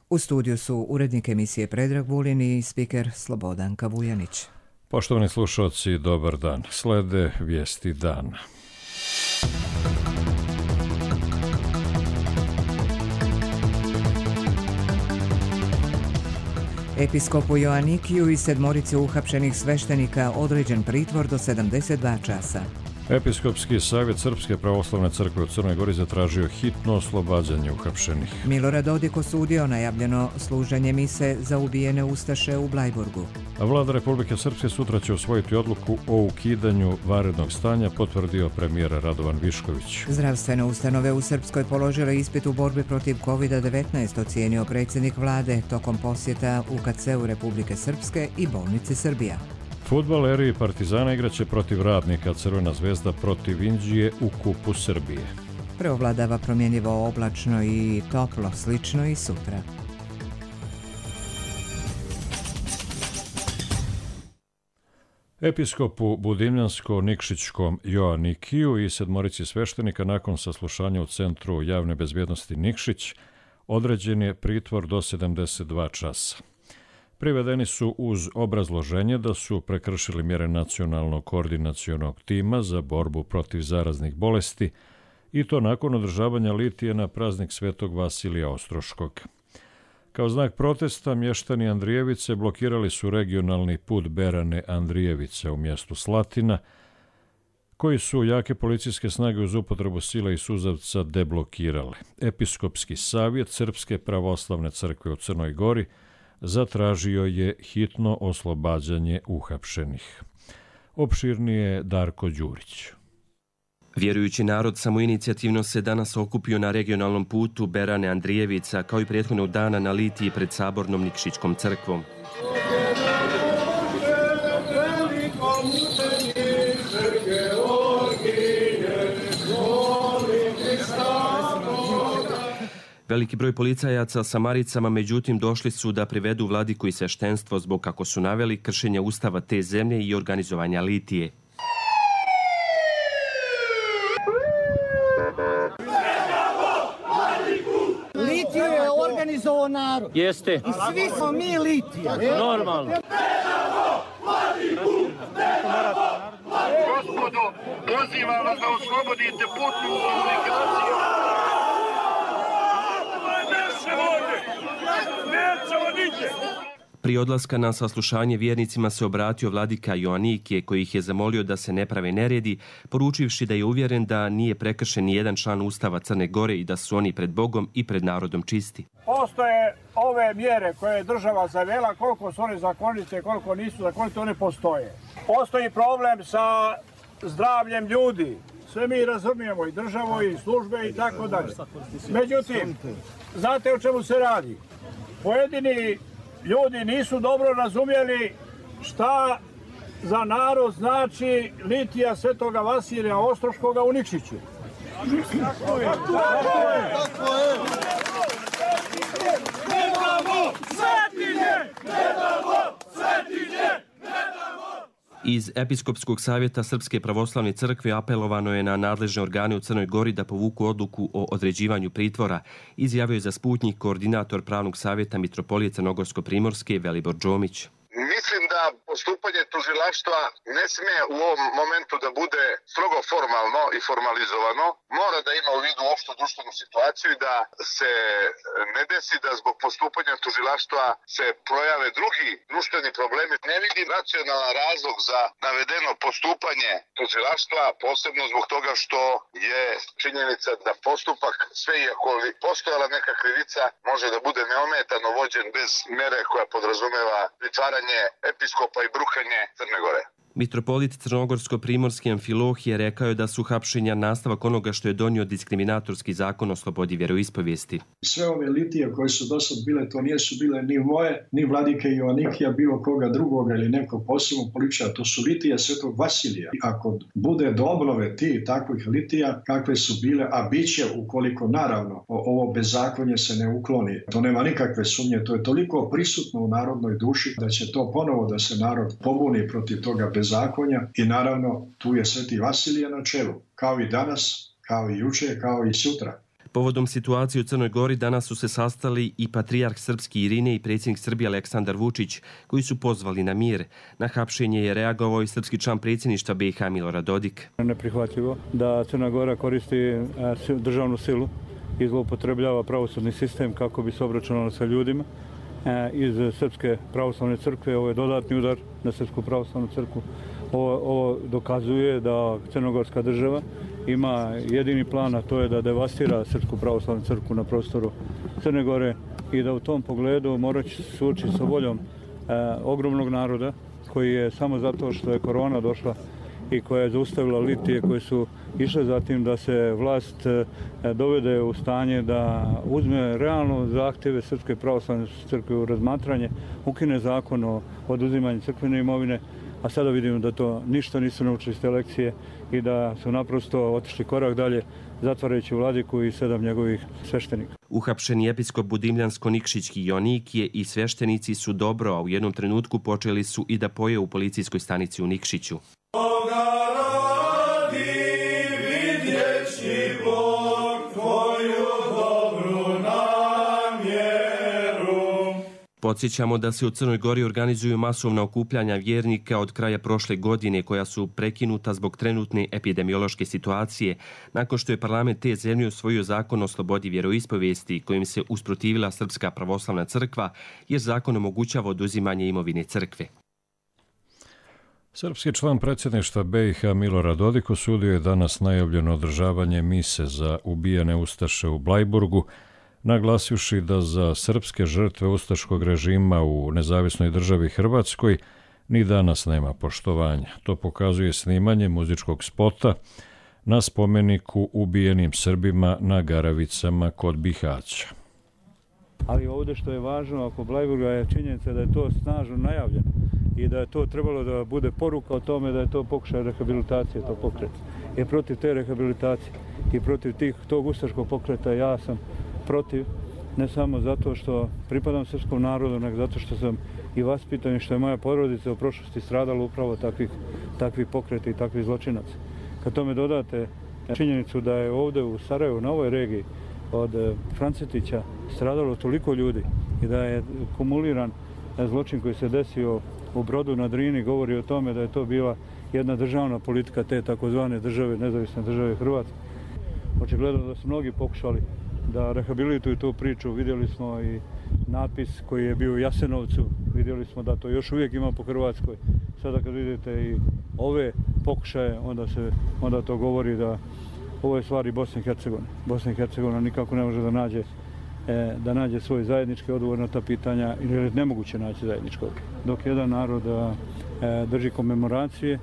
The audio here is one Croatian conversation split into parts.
U studiju su urednik emisije Predrag Vulin i spiker Slobodanka Vujanić. Poštovani slušalci, dobar dan. Slede vijesti dana. Episkopu Joanikiju i 7 uhapšenih sveštenika određen pritvor do 72 časa. Episkopski savjet Srpske pravoslavne crkve u Crnoj Gori zatražio hitno oslobađanje uhapšenih. Milorad Dodik osudio najavljeno služenje mise za ubijene ustaše u Blajburgu. A Vlada Republike Srpske sutra će usvojiti odluku o ukidanju vanrednog stanja, potvrdio premijer Radovan Višković. Zdravstvene ustanove u Srpskoj položile ispit u borbi protiv COVID-19, ocijenio predsjednik vlade tokom posjeta UKC-u Republike Srpske i bolnici Srbija. Fudbaleri Partizana igraće protiv Radnika, Crvena zvezda protiv Inđije u Kupu Srbije. Preovladava promjenjivo oblačno i toplo, slično i sutra. Episkopu Budimljansko-Nikšićkom Joanikiju i 7 sveštenika nakon saslušanja u Centru javne bezbjednosti Nikšić određen je pritvor do 72 časa. Privedeni su uz obrazloženje da su prekršili mjere nacionalnog koordinacionog tima za borbu protiv zaraznih bolesti i to nakon održavanja litije na praznik Svetog Vasilija Ostroškog. Kao znak protesta, mještani Andrijevice blokirali su regionalni put Berane-Andrijevice u mjestu Slatina, koji su jake policijske snage uz upotrebu sile i suzavca deblokirale. Episkopski savjet Srpske pravoslavne crkve u Crnoj Gori zatražio je hitno oslobađanje uhapšenih. Opširnije Darko Đurić. Vjerujući narod samoinicijativno se danas okupio na regionalnom putu Berane Andrijevica, kao i prethodnog dana na litiji pred sabornom Nikšićkom crkvom. Veliki broj policajaca sa maricama, međutim, došli su da privedu vladiku i sveštenstvo zbog, kako su naveli, kršenja ustava te zemlje i organizovanja litije. Litiju je organizovao narod. Jeste. I svi smo mi litija. Normalno. Gospodo, pozivam vas da oslobodite putnu komunikaciju. Prije odlaska na saslušanje vjernicima se obratio vladika Joanikije, koji ih je zamolio da se ne prave neredi, poručivši da je uvjeren da nije prekršen ni jedan član Ustava Crne Gore i da su oni pred Bogom i pred narodom čisti. Postoje ove mjere koje je država zavela, koliko su one zakonite, koliko nisu zakonite, one postoje. Postoji problem sa zdravljem ljudi. Sve mi razumijemo, i državu, i službe, i tako dalje. Međutim, znate o čemu se radi? Pojedini ljudi nisu dobro razumjeli šta za narod znači litija Svetoga Vasilija Ostroškoga u Nikšiću. Tako je. Iz Episkopskog savjeta Srpske pravoslavne crkve apelovano je na nadležne organe u Crnoj Gori da povuku odluku o određivanju pritvora, izjavio je za Sputnjik koordinator pravnog savjeta Mitropolije Crnogorsko-Primorske Velibor Đomić. Mislim da postupanje tužilaštva ne smije u ovom momentu da bude strogo formalno i formalizovano. Mora da ima u vidu opštu društvenu situaciju i da se ne desi da zbog postupanja tužilaštva se projave drugi društveni problemi. Ne vidim racionalan razlog za navedeno postupanje tužilaštva, posebno zbog toga što je činjenica da postupak, sve iako postojala neka krivica, može da bude neometano vođen bez mere koja podrazumeva pritvaranje episkopa i brukanje Crne Gore. Mitropolit Crnogorsko-Primorski Amfilohije rekao je da su hapšenja nastavak onoga što je donio diskriminatorski zakon o slobodi vjeroispovijesti. Sve ove litije koje su dosad bile, to nisu bile ni moje, ni vladike Joanikija, bilo koga drugoga ili nekog posebnog političara, to su litije Svetog Vasilija. Ako bude do obnove ti takvih litija kakve su bile, a bit će ukoliko naravno ovo bezakonje se ne ukloni, to nema nikakve sumnje, to je toliko prisutno u narodnoj duši da će to ponovo da se narod pobuni protiv toga bezakonja i naravno tu je Sveti Vasilije na čelu, kao i danas, kao i juče, kao i sutra. Povodom situacije u Crnoj Gori danas su se sastali i patrijarh srpski Irine i predsjednik Srbije Aleksandar Vučić, koji su pozvali na mir. Na hapšenje je reagovao i srpski član predsjedništva BiH Milorad Dodik. Neprihvatljivo da Crna Gora koristi državnu silu i zloupotrebljava pravosudni sistem kako bi se obračunalo sa ljudima iz Srpske pravoslavne crkve. Ovo je dodatni udar na Srpsku pravoslavnu crkvu. Ovo dokazuje da crnogorska država ima jedini plan, a to je da devastira Srpsku pravoslavnu crkvu na prostoru Crne Gore i da u tom pogledu mora se suočiti sa voljom ogromnog naroda koji je samo zato što je korona došla i koja je zaustavila litije koje su išle za tim da se vlast dovede u stanje da uzme realno zahtjeve Srpske pravoslavne crkve u razmatranje, ukine zakon o oduzimanju crkvene imovine, a sada vidimo da to ništa nisu naučili iz te lekcije i da su naprosto otišli korak dalje, zatvarajući vladiku i 7 njegovih sveštenika. Uhapšeni episkop Budimljansko-Nikšićki Joanikije i sveštenici su dobro, a u jednom trenutku počeli su i da poje u policijskoj stanici u Nikšiću. Podsjećamo da se u Crnoj Gori organizuju masovna okupljanja vjernika od kraja prošle godine koja su prekinuta zbog trenutne epidemiološke situacije, nakon što je parlament te zemlje usvojio zakon o slobodi vjeroispovijesti kojim se usprotivila Srpska pravoslavna crkva jer zakon omogućava oduzimanje imovine crkve. Srpski član predsjedništva BiH Milorad Dodik osudio je danas najavljeno održavanje mise za ubijene ustaše u Blajburgu, naglasivši da za srpske žrtve ustaškog režima u nezavisnoj državi Hrvatskoj ni danas nema poštovanja. To pokazuje snimanje muzičkog spota na spomeniku ubijenim Srbima na Garavicama kod Bihaća. Ali ovdje što je važno oko Blajburga je činjenica da je to snažno najavljeno i da je to trebalo da bude poruka o tome da je to pokušaj rehabilitacije, to pokret. I protiv te rehabilitacije i protiv tog ustaškog pokreta ja sam protiv, ne samo zato što pripadam srpskom narodu, nego zato što sam i vaspitan i što je moja porodica u prošlosti stradala upravo takvih pokreta i takvih zločinaca. Kad tome dodate činjenicu da je ovdje u Sarajevu, na ovoj regiji, od Francetića stradalo toliko ljudi i da je kumuliran zločin koji se desio u Brodu na Drini, govori o tome da je to bila jedna državna politika te takozvane države, nezavisne države Hrvatske. Očigledno da su mnogi pokušali da rehabilituju tu priču. Vidjeli smo i natpis koji je bio u Jasenovcu, vidjeli smo da to još uvijek ima po Hrvatskoj. Sada kad vidite i ove pokušaje, onda to govori da ovo je stvari Bosne i Hercegovine. Bosna i Hercegovina nikako ne može da nađe svoj zajednički odgovor na ta pitanja ili je nemoguće naći zajednički odgovor. Dok jedan narod drži komemoracije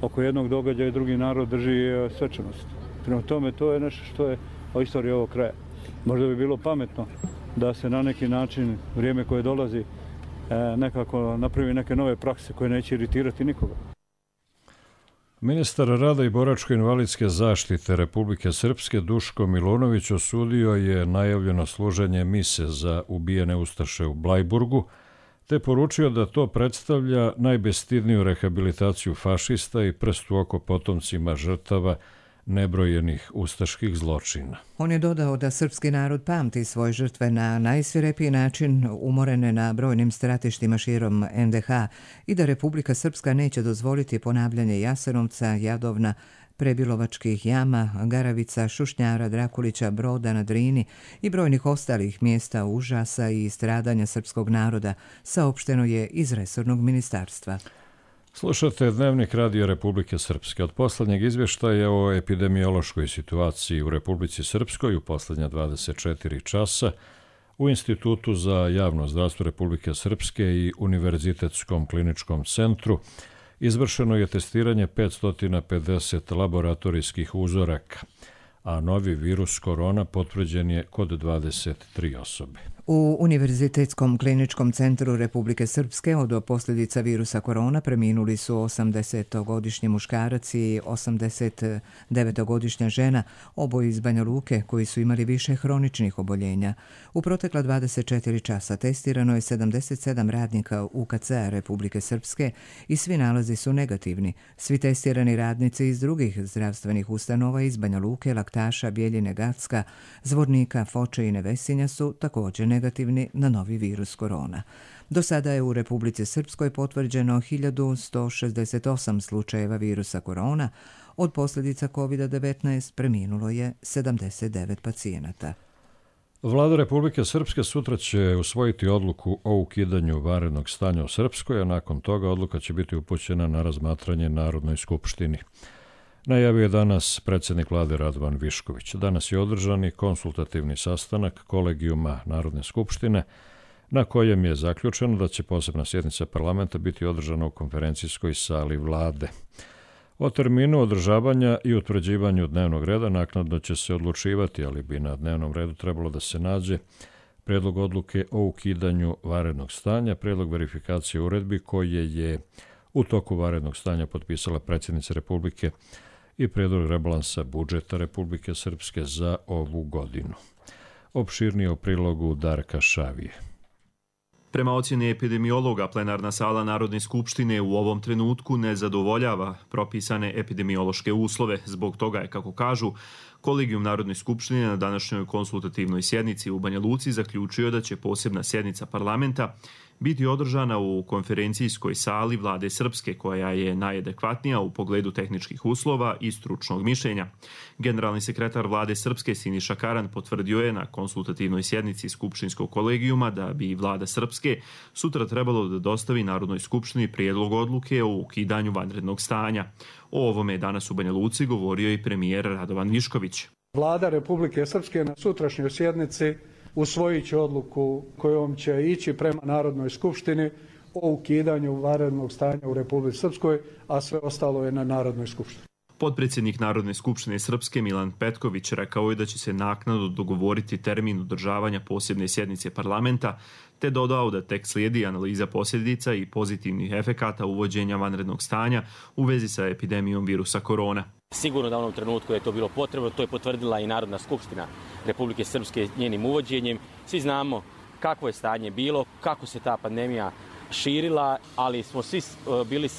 oko jednog događaja i drugi narod drži svečanost. Prema tome, to je nešto što je o istoriji ovog kraja. Možda bi bilo pametno da se na neki način vrijeme koje dolazi nekako napravi neke nove prakse koje neće iritirati nikoga. Ministar rada i boračko-invalidske zaštite Republike Srpske Duško Milunović osudio je najavljeno služenje mise za ubijene ustaše u Blajburgu, te poručio da to predstavlja najbestidniju rehabilitaciju fašista i prst u oko potomcima žrtava nebrojenih ustaških zločina. On je dodao da srpski narod pamti svoje žrtve na najsvirepiji način, umorene na brojnim stratištima širom NDH i da Republika Srpska neće dozvoliti ponavljanje Jasenovca, Jadovna, Prebilovačkih jama, Garavica, Šušnjara, Drakulića, Broda na Drini i brojnih ostalih mjesta užasa i stradanja srpskog naroda, saopšteno je iz resornog ministarstva. Slušate Dnevnik Radio Republike Srpske. Od posljednjeg izvještaja o epidemiološkoj situaciji u Republici Srpskoj u posljednja 24 časa u Institutu za javno zdravstvo Republike Srpske i Univerzitetskom kliničkom centru izvršeno je testiranje 550 laboratorijskih uzoraka, a novi virus korona potvrđen je kod 23 osobe. U Univerzitetskom kliničkom centru Republike Srpske od posljedica virusa korona preminuli su 80-godišnji muškarac i 89-godišnja žena, oboje iz Banja Luke, koji su imali više hroničnih oboljenja. U protekla 24 časa testirano je 77 radnika UKC-a Republike Srpske i svi nalazi su negativni. Svi testirani radnici iz drugih zdravstvenih ustanova iz Banja Luke, Laktaša, Bjeljine, Gacka, Zvornika, Foče i Nevesinja su također negativni na novi virus korona. Do sada je u Republici Srpskoj potvrđeno 1168 slučajeva virusa korona. Od posljedica COVID-19 preminulo je 79 pacijenata. Vlada Republike Srpske sutra će usvojiti odluku o ukidanju vanrednog stanja u Srpskoj, a nakon toga odluka će biti upućena na razmatranje Narodnoj skupštini. Najavio je danas predsjednik vlade Radovan Višković. Danas je održan i konsultativni sastanak kolegijuma Narodne skupštine, na kojem je zaključeno da će posebna sjednica parlamenta biti održana u konferencijskoj sali vlade. O terminu održavanja i utvrđivanju dnevnog reda naknadno će se odlučivati, ali bi na dnevnom redu trebalo da se nađe prijedlog odluke o ukidanju vanrednog stanja, prijedlog verifikacije uredbi koje je u toku vanrednog stanja potpisala predsjednica Republike i prijedlog rebalansa budžeta Republike Srpske za ovu godinu. Opširnije o prilogu Darka Šavije. Prema ocjeni epidemiologa, plenarna sala Narodne skupštine u ovom trenutku ne zadovoljava propisane epidemiološke uslove. Zbog toga je, kako kažu, kolegijum Narodne skupštine na današnjoj konsultativnoj sjednici u Banja Luci zaključio da će posebna sjednica parlamenta biti održana u konferencijskoj sali vlade Srpske, koja je najadekvatnija u pogledu tehničkih uslova i stručnog mišljenja. Generalni sekretar vlade Srpske Siniša Karan potvrdio je na konsultativnoj sjednici skupštinskog kolegijuma da bi vlada Srpske sutra trebalo da dostavi Narodnoj skupštini prijedlog odluke o ukidanju vanrednog stanja. O ovome je danas u Banja Luci govorio i premijer Radovan Višković. Vlada Republike Srpske na sutrašnjoj sjednici usvojit će odluku kojom će ići prema Narodnoj skupštini o ukidanju vanrednog stanja u Republici Srpskoj, a sve ostalo je na Narodnoj skupštini. Potpredsjednik Narodne skupštine Srpske Milan Petković rekao je da će se naknadno dogovoriti termin održavanja posebne sjednice parlamenta, te dodao da tek slijedi analiza posljedica i pozitivnih efekata uvođenja vanrednog stanja u vezi sa epidemijom virusa korona. Sigurno da u onom trenutku je to bilo potrebno, to je potvrdila i Narodna skupština Republike Srpske njenim uvođenjem. Svi znamo kakvo je stanje bilo, kako se ta pandemija širila, ali smo svi bili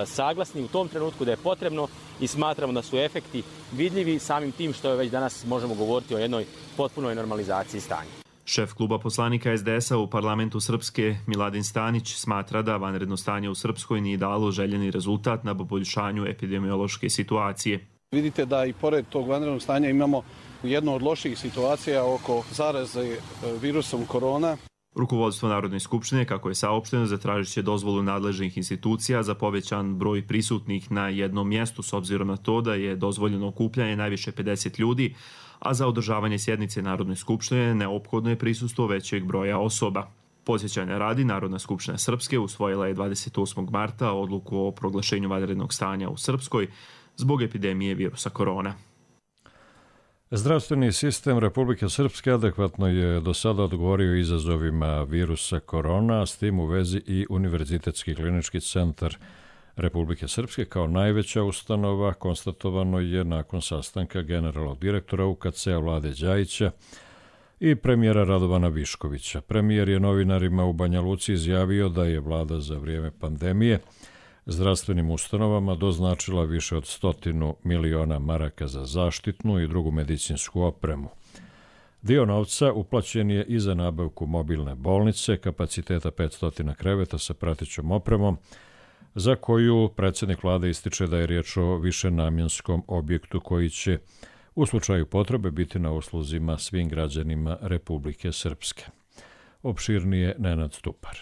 saglasni u tom trenutku da je potrebno i smatramo da su efekti vidljivi samim tim što je već danas možemo govoriti o jednoj potpunoj normalizaciji stanja. Šef kluba poslanika SDS-a u parlamentu Srpske Miladin Stanić smatra da vanredno stanje u Srpskoj nije dalo željeni rezultat na poboljšanju epidemiološke situacije. Vidite da i pored tog vanrednog stanja imamo jednu od loših situacija oko zaraze virusom korona. Rukovodstvo Narodne skupštine, kako je saopšteno, zatražit će dozvolu nadležnih institucija za povećan broj prisutnih na jednom mjestu, s obzirom na to da je dozvoljeno okupljanje najviše 50 ljudi, a za održavanje sjednice Narodne skupštine neophodno je prisustvo većeg broja osoba. Podsjećanja radi, Narodna skupština Srpske usvojila je 28. marta odluku o proglašenju vanrednog stanja u Srpskoj zbog epidemije virusa korona. Zdravstveni sistem Republike Srpske adekvatno je do sada odgovorio izazovima virusa korona, a s tim u vezi i Univerzitetski klinički centar Republike Srpske kao najveća ustanova konstatovano je nakon sastanka generalnog direktora UKC-a Vlade Đajića i premijera Radovana Viškovića. Premijer je novinarima u Banja Luci izjavio da je vlada za vrijeme pandemije zdravstvenim ustanovama doznačila više od 100 miliona maraka za zaštitnu i drugu medicinsku opremu. Dio novca uplaćen je i za nabavku mobilne bolnice, kapaciteta 500 kreveta sa pratećom opremom, za koju predsjednik vlade ističe da je riječ o višenamjenskom objektu koji će u slučaju potrebe biti na usluzima svim građanima Republike Srpske. Opširnije Nenad Stupar.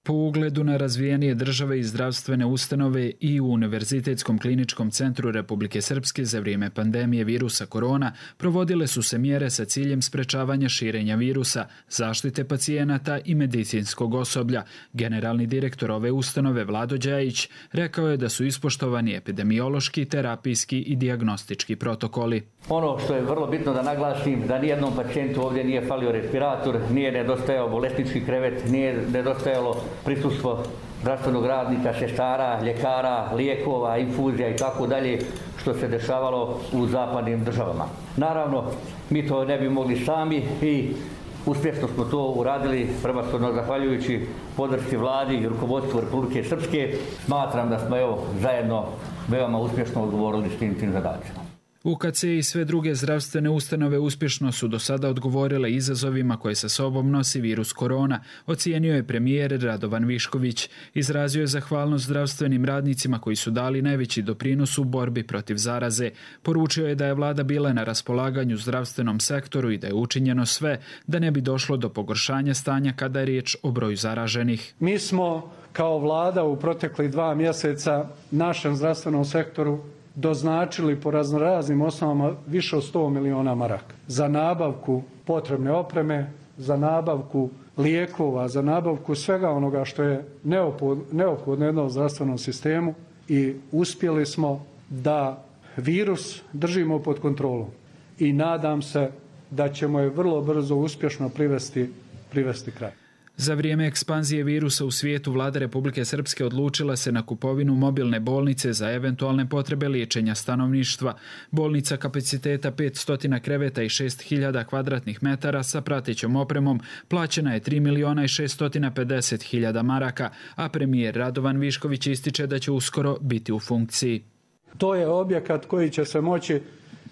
Po ugledu na razvijenije države i zdravstvene ustanove i u Univerzitetskom kliničkom centru Republike Srpske za vrijeme pandemije virusa korona provodile su se mjere sa ciljem sprečavanja širenja virusa, zaštite pacijenata i medicinskog osoblja. Generalni direktor ove ustanove Vlado Đajić rekao je da su ispoštovani epidemiološki, terapijski i dijagnostički protokoli. Ono što je vrlo bitno da naglasim, da nijednom pacijentu ovdje nije falio respirator, nije nedostajao bolesnički krevet, nije nedostajalo prisustvo zdravstvenog radnika, sestara, ljekara, lijekova, infuzija i tako dalje, što se dešavalo u zapadnim državama. Naravno, mi to ne bi mogli sami i uspješno smo to uradili, prvenstveno zahvaljujući podršci vladi i rukovodstvu Republike Srpske. Smatram da smo zajedno veoma uspješno odgovorili s tim zadacima. UKC i sve druge zdravstvene ustanove uspješno su do sada odgovorile izazovima koje sa sobom nosi virus korona, ocijenio je premijer Radovan Višković. Izrazio je zahvalnost zdravstvenim radnicima koji su dali najveći doprinos u borbi protiv zaraze. Poručio je da je vlada bila na raspolaganju zdravstvenom sektoru i da je učinjeno sve da ne bi došlo do pogoršanja stanja kada je riječ o broju zaraženih. Mi smo kao vlada u proteklih 2 mjeseca našem zdravstvenom sektoru doznačili po raznoraznim osnovama više od 100 miliona maraka za nabavku potrebne opreme, za nabavku lijekova, za nabavku svega onoga što je neophodno jednom zdravstvenom sistemu i uspjeli smo da virus držimo pod kontrolom i nadam se da ćemo je vrlo brzo uspješno privesti kraj. Za vrijeme ekspanzije virusa u svijetu vlada Republike Srpske odlučila se na kupovinu mobilne bolnice za eventualne potrebe liječenja stanovništva. Bolnica kapaciteta 500 kreveta i 6000 kvadratnih metara sa pratećom opremom plaćena je 3.650.000 maraka, a premijer Radovan Višković ističe da će uskoro biti u funkciji. To je objekat koji će se moći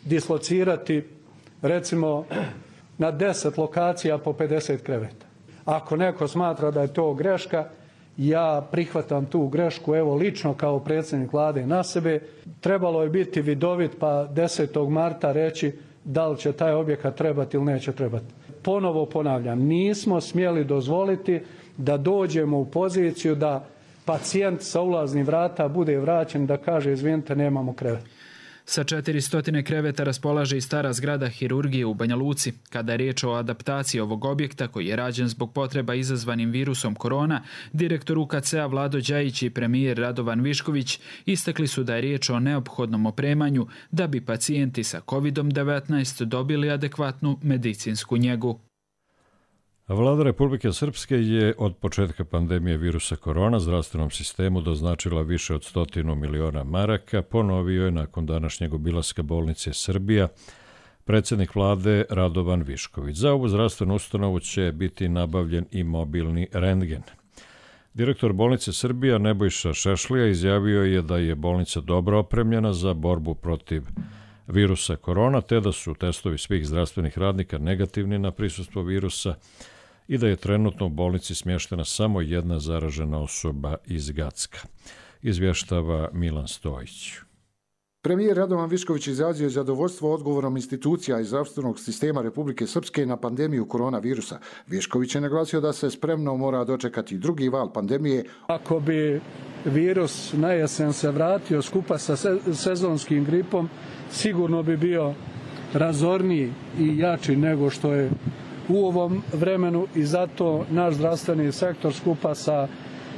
dislocirati recimo na 10 lokacija po 50 kreveta. Ako neko smatra da je to greška, ja prihvatam tu grešku, evo lično kao predsjednik vlade na sebe. Trebalo je biti vidovit pa 10. marta reći da li će taj objekat trebati ili neće trebati. Ponovo ponavljam, nismo smjeli dozvoliti da dođemo u poziciju da pacijent sa ulaznih vrata bude vraćen da kaže izvinite nemamo krevet. Sa 400 kreveta raspolaže i stara zgrada hirurgije u Banja Luci. Kada je riječ o adaptaciji ovog objekta koji je rađen zbog potreba izazvanim virusom korona, direktor UKC-a Vlado Đajić i premijer Radovan Višković istakli su da je riječ o neophodnom opremanju da bi pacijenti sa COVID-19 dobili adekvatnu medicinsku njegu. Vlada Republike Srpske je od početka pandemije virusa korona zdravstvenom sistemu doznačila više od 100 miliona maraka, ponovio je nakon današnjeg obilaska bolnice Srbija predsjednik vlade Radovan Višković. Za ovu zdravstvenu ustanovu će biti nabavljen i mobilni rentgen. Direktor bolnice Srbija Nebojša Šešlija izjavio je da je bolnica dobro opremljena za borbu protiv virusa korona, te da su testovi svih zdravstvenih radnika negativni na prisustvo virusa i da je trenutno u bolnici smještena samo jedna zaražena osoba iz Gacka. Izvještava Milan Stojić. Premijer Radovan Višković izrazio je zadovoljstvo odgovorom institucija i zdravstvenog sistema Republike Srpske na pandemiju koronavirusa. Višković je naglasio da se spremno mora dočekati drugi val pandemije. Ako bi virus na jesen se vratio skupa sa sezonskim gripom, sigurno bi bio razorniji i jači nego što je u ovom vremenu i zato naš zdravstveni sektor skupa sa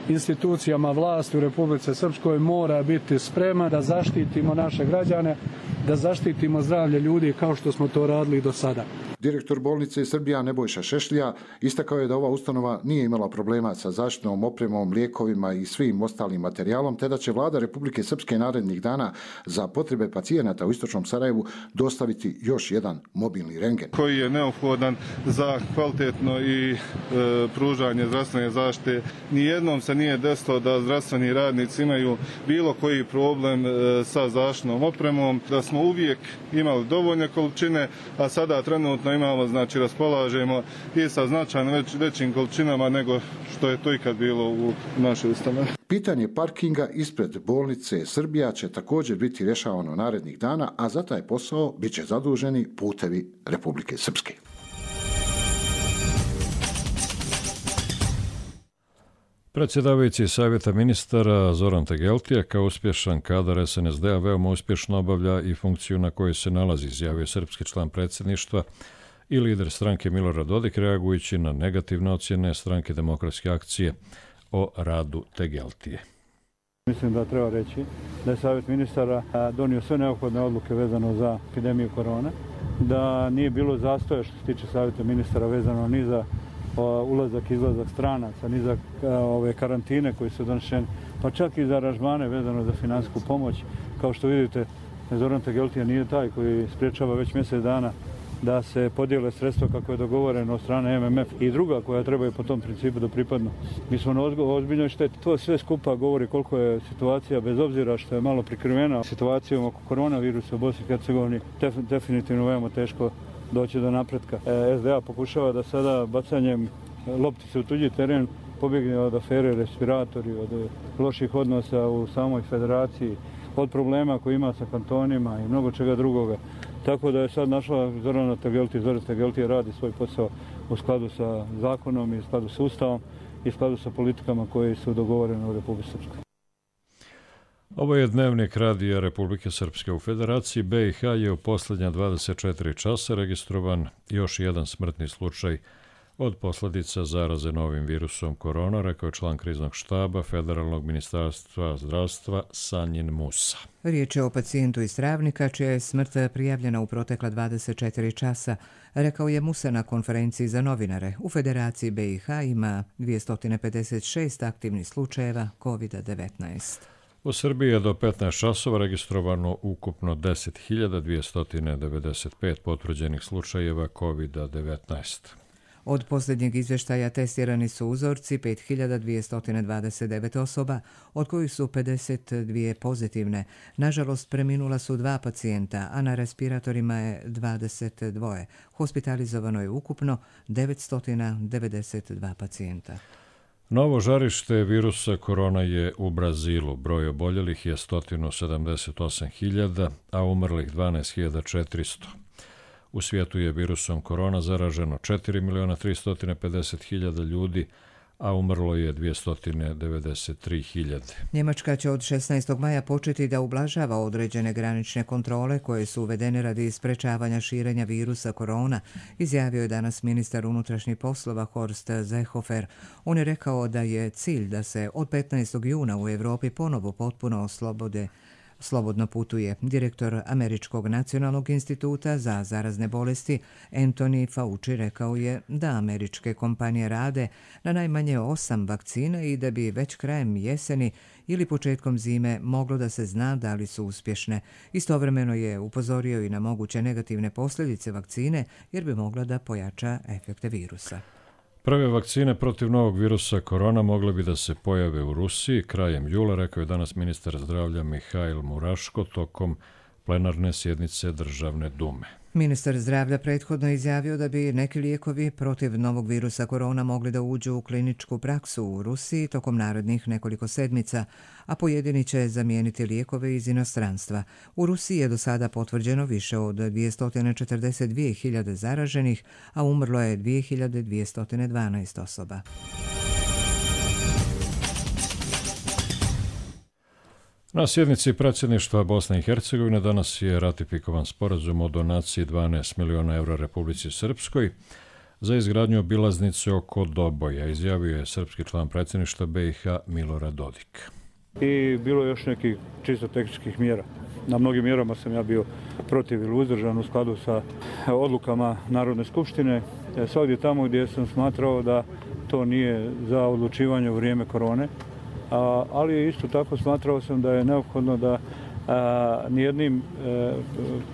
institucijama vlasti u Republike Srpskoj mora biti spreman da zaštitimo naše građane, da zaštitimo zdravlje ljudi kao što smo to radili do sada. Direktor bolnice Srbija Nebojša Šešlija istakao je da ova ustanova nije imala problema sa zaštitnom opremom, lijekovima i svim ostalim materijalom, te da će vlada Republike Srpske narednih dana za potrebe pacijenata u istočnom Sarajevu dostaviti još jedan mobilni rentgen. Koji je neophodan za kvalitetno i pružanje zdravstvene zaštite. Nijednom se nije desilo da zdravstveni radnici imaju bilo koji problem sa zaštitnom opremom, da smo uvijek imali dovoljne količine, a sada trenutno imamo, znači raspolažemo i sa značajno većim količinama nego što je to ikad bilo u našoj ustanovi. Pitanje parkinga ispred bolnice Srbija će također biti rješavano narednih dana, a za taj posao bit će zaduženi Putevi Republike Srpske. Predsjedavajući Savjeta ministara Zoran Tegeltija kao uspješan kadar SNSD-a veoma uspješno obavlja i funkciju na kojoj se nalazi, izjavio srpski član predsjedništva i lider stranke Milorad Dodik, reagujući na negativne ocjene stranke Demokratske akcije o radu Tegeltije. Mislim da treba reći da je Savjet ministara donio sve neophodne odluke vezano za epidemiju korone, da nije bilo zastoja što se tiče Savjeta ministara vezano ni za ulazak i izlazak stranaca, ni za ove karantine koji su donesene, pa čak i za aranžmane vezano za financijsku pomoć. Kao što vidite, Zoran Tegeltija nije taj koji spriječava već mjesec dana da se podijele sredstva kako je dogovoreno od strane MMF i druga koja trebaju po tom principu da pripadnu. Mi smo na ozbiljnoj šteti. To sve skupa govori koliko je situacija, bez obzira što je malo prikrivena situacijom oko koronavirusa u Bosni i Hercegovini, definitivno veoma teško doći do napretka. SDA pokušava da sada bacanjem loptice u tuđi teren pobjegne od afere respiratori, od loših odnosa u samoj federaciji, od problema koji ima sa kantonima i mnogo čega drugoga. Tako da je sad našla Zorana Tegeltija. Zoran Tegeltija radi svoj posao u skladu sa zakonom i u skladu sa Ustavom i u skladu sa politikama koje su dogovorene u Republici Srpskoj. Ovo je dnevnik radija Republike Srpske. U Federaciji BiH je u posljednja 24 časa registrovan još jedan smrtni slučaj od posljedica zaraze novim virusom korona, rekao je član kriznog štaba Federalnog ministarstva zdravstva Sanjin Musa. Riječ je o pacijentu iz Travnika, čija je smrt prijavljena u protekla 24 časa, rekao je Musa na konferenciji za novinare. U Federaciji BiH ima 256 aktivnih slučajeva COVID-19. U Srbiji je do 15 časova registrovano ukupno 10.295 potvrđenih slučajeva COVID-19. Od posljednjeg izvještaja testirani su uzorci 5.229 osoba, od kojih su 52 pozitivne. Nažalost, preminula su 2 pacijenta, a na respiratorima je 22. Hospitalizovano je ukupno 992 pacijenta. Novo žarište virusa korona je u Brazilu. Broj oboljelih je 178.000, a umrlih 12.400. U svijetu je virusom korona zaraženo 4.350.000 ljudi, a umrlo je 293.000. Njemačka će od 16. maja početi da ublažava određene granične kontrole koje su uvedene radi sprečavanja širenja virusa korona, izjavio je danas ministar unutrašnjih poslova Horst Seehofer. On je rekao da je cilj da se od 15. juna u Europi ponovo potpuno slobodno putuje. Direktor Američkog nacionalnog instituta za zarazne bolesti Anthony Fauci rekao je da američke kompanije rade na najmanje 8 vakcina i da bi već krajem jeseni ili početkom zime moglo da se zna da li su uspješne. Istovremeno je upozorio i na moguće negativne posljedice vakcine jer bi mogla da pojača efekte virusa. Prve vakcine protiv novog virusa korona mogle bi da se pojave u Rusiji krajem jula, rekao je danas ministar zdravlja Mihail Muraško tokom plenarne sjednice Državne dume. Ministar zdravlja prethodno izjavio da bi neki lijekovi protiv novog virusa korona mogli da uđu u kliničku praksu u Rusiji tokom narednih nekoliko sedmica, a pojedini će zamijeniti lijekove iz inostranstva. U Rusiji je do sada potvrđeno više od 242.000 zaraženih, a umrlo je 2.212 osoba. Na sjednici predsjedništva Bosne i Hercegovine danas je ratifikovan sporazum o donaciji 12 miliona evra Republici Srpskoj za izgradnju obilaznice oko Doboja, izjavio je srpski član predsjedništva BiH Milorad Dodik. I bilo je još nekih čisto tehničkih mjera. Na mnogim mjerama sam ja bio protiv ili uzdržan u skladu sa odlukama Narodne skupštine. Svagdje tamo gdje sam smatrao da to nije za odlučivanje u vrijeme korone, ali isto tako smatrao sam da je neophodno da nijednim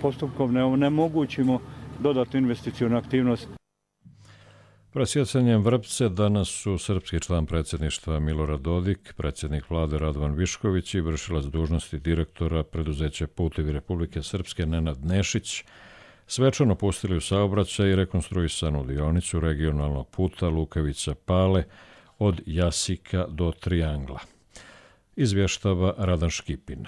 postupkom ne onemogućimo dodatnu investicijnu aktivnost. Presjecanjem vrpce danas su srpski član predsjedništva Milorad Dodik, predsjednik vlade Radovan Višković i vršilac dužnosti direktora preduzeća Putevi Republike Srpske Nenad Nešić svečano pustili u saobraćaj i rekonstruisanu dionicu regionalnog puta Lukavica-Pale od Jasika do Triangla. Izvještava Radan Škipin.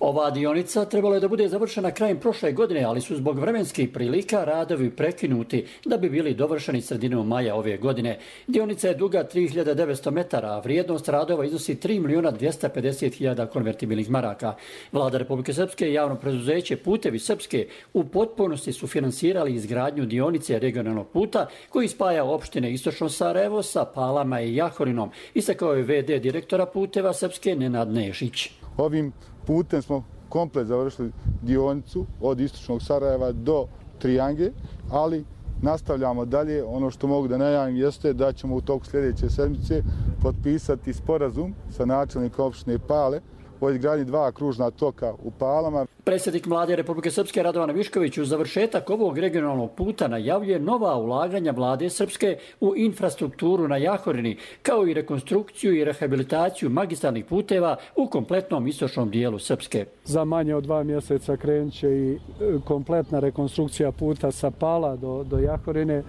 Ova dionica trebala je da bude završena krajem prošle godine, ali su zbog vremenskih prilika radovi prekinuti da bi bili dovršeni sredinom maja ove godine. Dionica je duga 3900 metara, a vrijednost radova iznosi 3.250.000 konvertibilnih maraka. Vlada Republike Srpske i javno preduzeće Putevi Srpske u potpunosti su finansirali izgradnju dionice regionalnog puta koji spaja opštine Istočno Sarajevo sa Palama i Jahorinom, istakao je VD direktora Puteva Srpske Nenad Nešić. Ovim putem smo komplet završili dionicu od Istočnog Sarajeva do Trijange, ali nastavljamo dalje. Ono što mogu da najavim jeste da ćemo u toku sljedeće sedmice potpisati sporazum sa načelnikom opštine Pale o izgradnji 2 kružna toka u Palama. Predsjednik Vlade Republike Srpske Radovan Višković uz završetak ovog regionalnog puta najavljuje nova ulaganja Vlade Srpske u infrastrukturu na Jahorini, kao i rekonstrukciju i rehabilitaciju magistralnih puteva u kompletnom istočnom dijelu Srpske. Za manje od 2 mjeseca krenut će i kompletna rekonstrukcija puta sa Pala do Jahorine.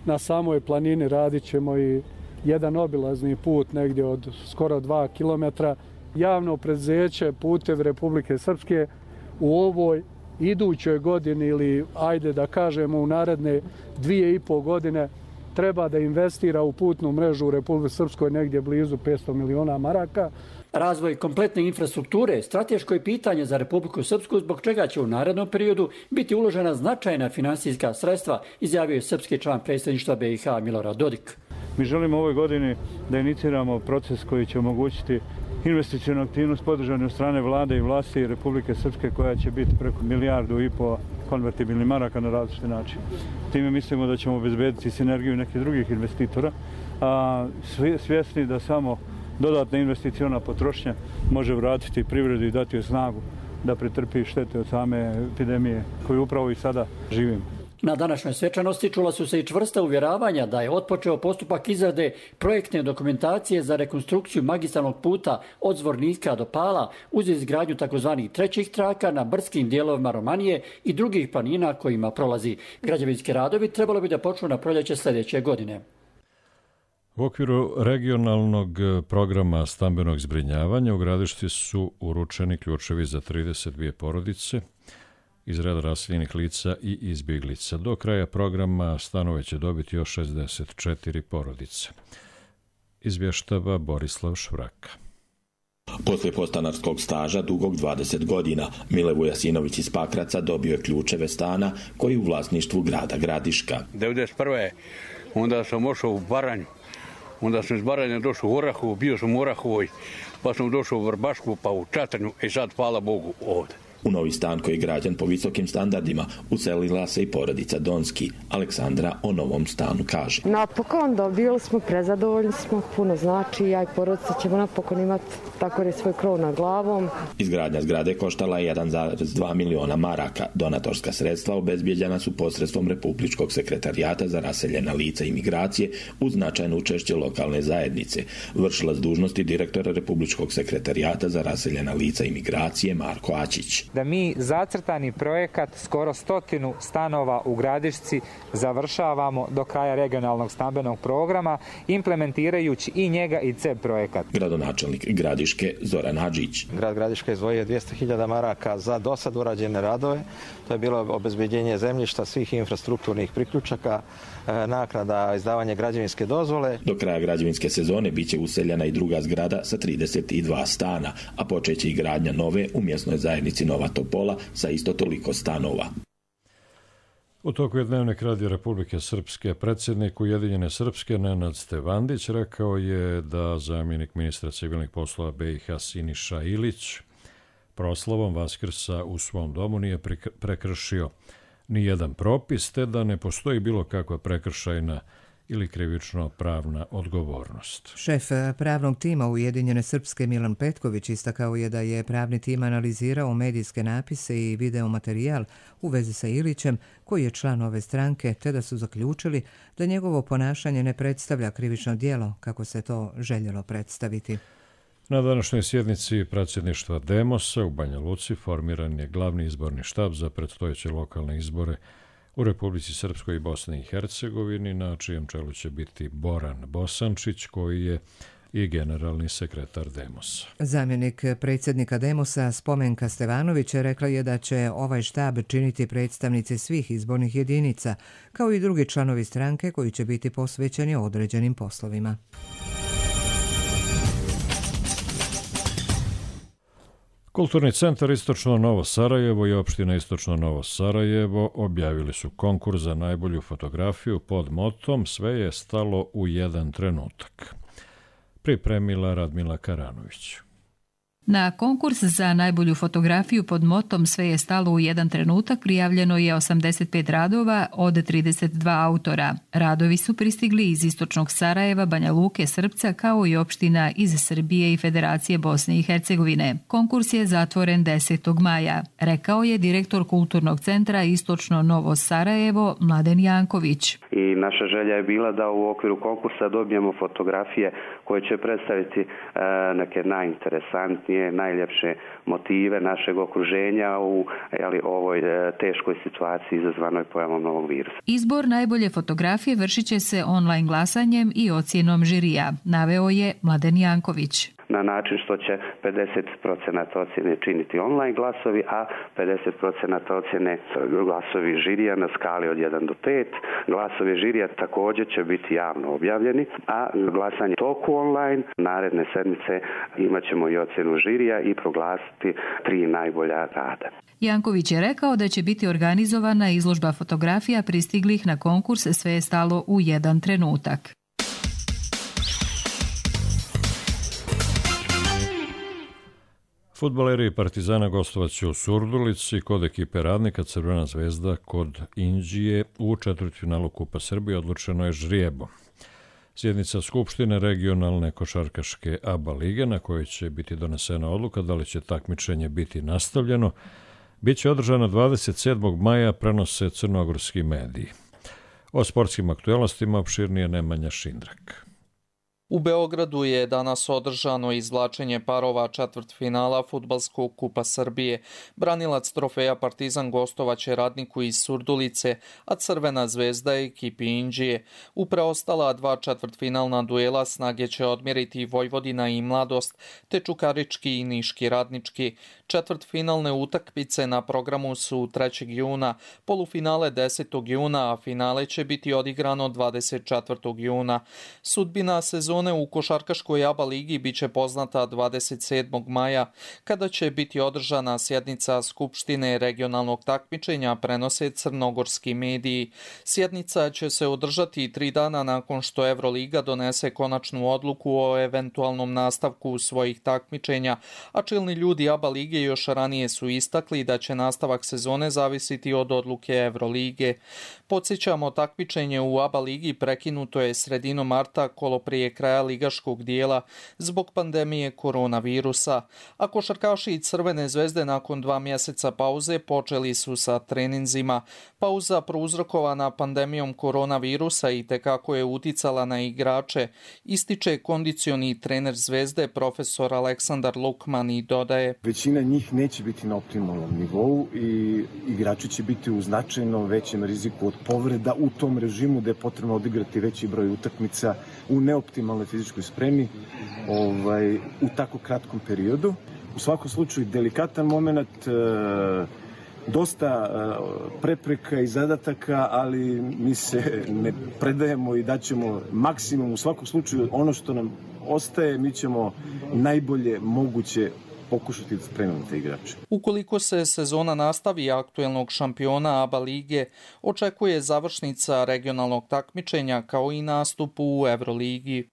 Na samoj planini radit ćemo i jedan obilazni put negdje od skoro 2 kilometra. Javno preduzeće Putevi Republike Srpske u ovoj idućoj godini ili ajde da kažemo u naredne 2,5 godine treba da investira u putnu mrežu u Republike Srpskoj negdje blizu 500 miliona maraka. Razvoj kompletne infrastrukture je strateško pitanje za Republiku Srpsku, zbog čega će u narednom periodu biti uložena značajna finansijska sredstva, izjavio je srpski član predsjedništva BiH Milorad Dodik. Mi želimo u ovoj godini da iniciramo proces koji će omogućiti investicijnu aktivnost podržanu od strane vlade i vlasti Republike Srpske koja će biti preko 1,5 milijardu konvertibilnih maraka na različite načine. Time mislimo da ćemo obezbediti sinergiju nekih drugih investitora, a svjesni da samo dodatna investicijona potrošnja može vratiti privredu i dati joj snagu da pretrpi štete od same epidemije koju upravo i sada živimo. Na današnjoj svečanosti čula su se i čvrsta uvjeravanja da je otpočeo postupak izrade projektne dokumentacije za rekonstrukciju magistralnog puta od Zvornika do Pala uz izgradnju takozvanih trećih traka na brskim dijelovima Romanije i drugih planina kojima prolazi. Građevinski radovi trebalo bi da počnu na proljeće sljedeće godine. U okviru regionalnog programa stambenog zbrinjavanja u Gradišti su uručeni ključevi za 32 porodice iz reda raseljenih lica i izbjeglica. Do kraja programa stanove će dobiti još 64 porodice. Izvještava Borislav Švraka. Poslije podstanarskog staža dugog 20 godina, Mile Vujasinović iz Pakraca dobio je ključeve stana koji je u vlasništvu grada Gradiška. 1991. onda sam ošao u Baranju, onda sam iz Baranja došao u Orahovu, bio sam u Orahovoj, pa sam došao u Vrbašku, pa u Čatanju i sad, hvala Bogu, ovdje. U novi stan koji je građen po visokim standardima uselila se i porodica Donski. Aleksandra o novom stanu kaže. Napokon dobili smo, prezadovoljni smo, puno znači, ja i porodica ćemo napokon imati tako je svoj krov nad glavom. Izgradnja zgrade koštala je 1,2 miliona maraka. Donatorska sredstva obezbijeđena su posredstvom Republičkog sekretarijata za raseljena lica i migracije uz značajno učešće lokalne zajednice. Vršilac dužnosti direktora Republičkog sekretarijata za raseljena lica i migracije Marko Ačić. Da mi zacrtani projekat skoro 100 stanova u Gradišci završavamo do kraja regionalnog stambenog programa, implementirajući i njega i CEB projekat. Gradonačelnik Gradiške Zoran Hadžić. Grad Gradiška izdvojio 200.000 maraka za dosad urađene radove. To je bilo obezbeđenje zemljišta, svih infrastrukturnih priključaka, naknada, izdavanje građevinske dozvole. Do kraja građevinske sezone biće useljena i druga zgrada sa 32 stana, a počeće i gradnja nove u mjesnoj zajednici Nova Topola sa isto toliko stanova. U toku je Dnevnik Radija Republike Srpske predsjednik Ujedinjene Srpske Nenad Stevandić rekao je da zamjenik ministra civilnih poslova BiH Siniša Ilić proslavom Vaskrsa u svom domu nije prekršio ni jedan propis, te da ne postoji bilo kakva prekršajna ili krivično pravna odgovornost. Šef pravnog tima Ujedinjene Srpske Milan Petković istakao je da je pravni tim analizirao medijske napise i video materijal u vezi sa Ilićem, koji je član ove stranke, te da su zaključili da njegovo ponašanje ne predstavlja krivično djelo, kako se to željelo predstaviti. Na današnjoj sjednici predsjedništva Demosa u Banja Luci formiran je glavni izborni štab za predstojeće lokalne izbore u Republici Srpskoj i Bosni i Hercegovini, na čijem čelu će biti Boran Bosančić, koji je i generalni sekretar Demosa. Zamjenik predsjednika Demosa Spomenka Stevanović rekla je da će ovaj štab činiti predstavnici svih izbornih jedinica, kao i drugi članovi stranke koji će biti posvećeni određenim poslovima. Kulturni centar Istočno Novo Sarajevo i opština Istočno Novo Sarajevo objavili su konkurs za najbolju fotografiju pod motom "Sve je stalo u jedan trenutak". Pripremila Radmila Karanović. Na konkurs za najbolju fotografiju pod motom "Sve je stalo u jedan trenutak" prijavljeno je 85 radova od 32 autora. Radovi su pristigli iz Istočnog Sarajeva, Banja Luke, Srpca, kao i opština iz Srbije i Federacije Bosne i Hercegovine. Konkurs je zatvoren 10. maja, rekao je direktor Kulturnog centra Istočno Novo Sarajevo Mladen Janković. I naša želja je bila da u okviru konkursa dobijemo fotografije koje će predstaviti neke najinteresantnije, najljepše motive našeg okruženja u ovoj teškoj situaciji izazvanoj pojavom novog virusa. Izbor najbolje fotografije vršit će se online glasanjem i ocjenom žirija, naveo je Mladen Janković. Na način što će 50% ocjene činiti online glasovi, a 50% ocjene glasovi žirija na skali od 1 do 5. Glasovi žirija također će biti javno objavljeni, a glasanje toku online naredne sedmice imat ćemo i ocjenu žirija i proglasiti 3 najbolja rada. Janković je rekao da će biti organizovana izložba fotografija pristiglih na konkurs "Sve je stalo u jedan trenutak". Fudbaleri Partizana gostovaće u Surdulici kod ekipe Radnika. Crvena zvezda kod Inđije u četvrtfinalu Kupa Srbije odlučeno je žrijebom. Sjednica Skupštine regionalne košarkaške ABA lige, na kojoj će biti donesena odluka da li će takmičenje biti nastavljeno, bit će održana 27. maja, prenose crnogorski mediji. O sportskim aktualnostima opširnije Nemanja Šindrak. U Beogradu je danas održano izvlačenje parova četvrtfinala Fudbalskog kupa Srbije. Branilac trofeja Partizan gostovaće Radniku iz Surdulice, a Crvena zvezda ekipi Inđije. U preostala 2 četvrtfinalna duela snage će odmjeriti Vojvodina i Mladost, te Čukarički i Niški Radnički. Četvrtfinalne utakmice na programu su 3. juna, polufinale 10. juna, a finale će biti odigrano 24. juna. Sudbina sezone u košarkaškoj ABA ligi biće poznata 27. maja, kada će biti održana sjednica Skupštine regionalnog takmičenja, prenose crnogorski mediji. Sjednica će se održati 3 dana nakon što Evroliga donese konačnu odluku o eventualnom nastavku svojih takmičenja, a čelni ljudi ABA lige još ranije su istakli da će nastavak sezone zavisiti od odluke Evrolige. Podsjećamo, takmičenje u ABA ligi prekinuto je sredinom marta kolo prije kraja ligaškog dijela zbog pandemije koronavirusa, a košarkaši Crvene zvezde nakon 2 mjeseca pauze počeli su sa treninzima. Pauza prouzrokovana pandemijom koronavirusa i tekako je uticala na igrače, ističe kondicioni trener Zvezde profesor Aleksandar Lukman i dodaje: Većina njih neće biti na optimalnom nivou i igrači će biti u značajno većem riziku od povreda u tom režimu gde je potrebno odigrati veći broj utakmica u neoptimalnoj fizičkoj spremi u tako kratkom periodu. U svakom slučaju delikatan moment, dosta prepreka i zadataka, ali mi se ne predajemo i daćemo maksimum. U svakom slučaju ono što nam ostaje, mi ćemo najbolje moguće pokušati da spremimo te igrače. Ukoliko se sezona nastavi, aktuelnog šampiona ABA lige očekuje završnica regionalnog takmičenja kao i nastup u Evroligi.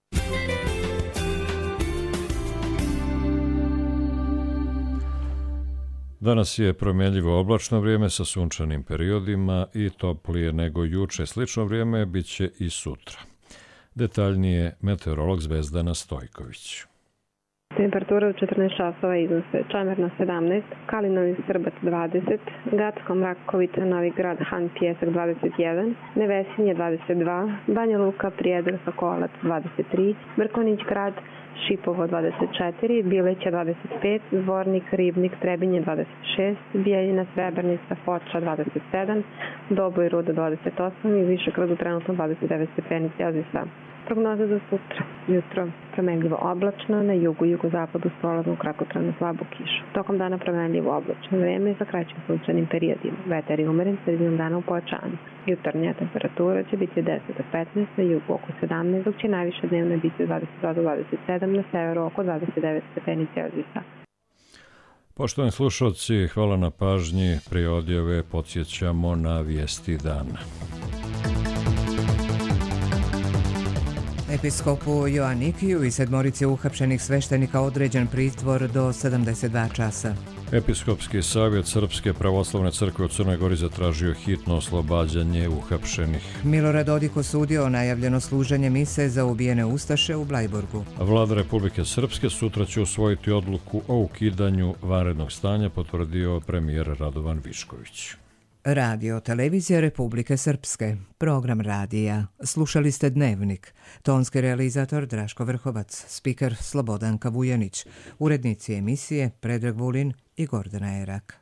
Danas je promjenljivo oblačno vrijeme sa sunčanim periodima i toplije nego juče. Slično vrijeme bit će i sutra. Detaljnije meteorolog Zvezdana Stojković. Temperatura od 14 časova iznose Čamerna 17, Kalinović Srbac 20, Gacko Mrakovica Novi Grad Han Pjesak 21, Nevesinje 22, Banja Luka Prijedor Sokolac 23, Mrkonić Grad Šipovo 24, Bileća 25, Zvornik, Ribnik, Trebinje 26, Bijeljina, Srebrnica, Foča 27, Doboj, Ruda 28 i Višegradu trenutno 29 stepeni Celzijusa. Prognoza za sutra. Jutro promenljivo oblačno, na jugu i jugozapadu prolazno kratkotrajno slabu kišu. Tokom dana promenljivo oblačno vreme sa kraćim sunčanim periodima. Vetar je umeren, sredinom dana u pojačanju. Jutarnja temperatura će biti 10 do 15, na jugu oko 17, dok će najviše dnevna biti 22 do 27, na severu oko 29 stepeni Celzijusa. Poštovani slušalci, hvala na pažnji. Prije odjave podsjećamo na vijesti dana. Episkopu Joannikiju i sedmorici uhapšenih sveštenika određen pritvor do 72 časa. Episkopski savjet Srpske pravoslavne crkve u Crnoj Gori zatražio hitno oslobađanje uhapšenih. Milorad Dodik osudio najavljeno služenje mise za ubijene ustaše u Blajburgu. Vlada Republike Srpske sutra će usvojiti odluku o ukidanju vanrednog stanja, potvrdio premijer Radovan Višković. Radio Televizija Republike Srpske, program radija. Slušali ste Dnevnik. Tonski realizator Draško Vrhovac, spiker Slobodanka Vujanić, urednici emisije Predrag Vulin i Gordana Erak.